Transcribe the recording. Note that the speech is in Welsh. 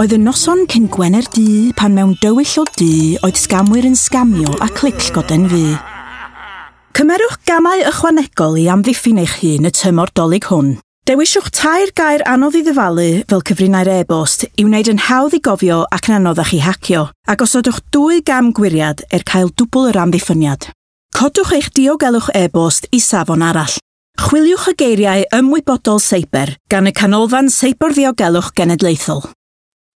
Oedd y noson cyn Gwener Du pan mewn dywyll o du oedd sgamwyr yn sgamio a clic goden fu. Cymerwch gamau ychwanegol i amddiffyn eich hun y tymor Dolig hwn. Dewiswch tair gair anodd i ddyfalu fel cyfrinau'r e-bost i wneud yn hawdd i gofio ac yn anoddach i hacio, a gosodwch dwy gam gwiriad er cael dwbl yr amddiffyniad. Codwch eich diogelwch e-bost i safon arall. Chwiliwch y geiriau ymwybodol seiber gan y Canolfan Seiberddiogelwch Genedlaethol.